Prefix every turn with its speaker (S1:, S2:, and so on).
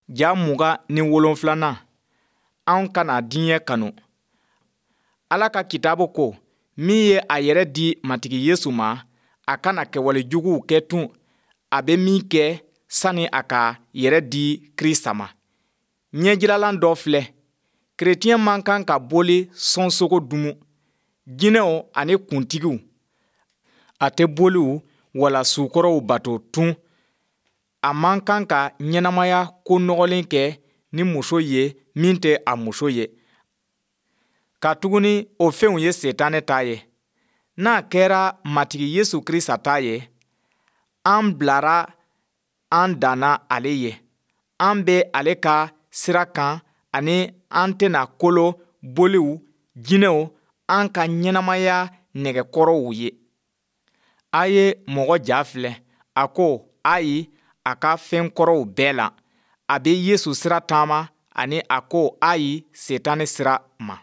S1: Ja 27nan, anw kana diɲɛ kanu. Ala ka kitabu ko, min ye a yɛrɛ di Matigi Yesu ma, a kana kɛwale juguw kɛ tun, a bɛ min kɛ sani a k'a yɛrɛ di Krisita ma. Ɲɛjiralan dɔ filɛ. Kerecɛn man kan ka boli sɔnsogo dumu, jinɛw ani kuntigiw. A tɛ boliw wala sukɔrɔw bato tun. A man kan ka ɲɛnamaya ko nɔgɔlen kɛ ni muso ye min tɛ a muso ye, katuguni o fɛnw ye Sitanɛ ta ye. N'a kɛra Matigi Yesu Krisita ta ye, an bilara an danna ale ye. An bɛ ale ka sira kan ani an tɛna kolo boliw, jinɛw, an ka ɲɛnamaya nɛgɛkɔrɔw ye. A ye mɔgɔ ja filɛ, a ko ayi a ka fɛn kɔrɔw bɛɛ la. A bɛ Yesu sira taama ani a ko ayi Sitanɛ sira ma.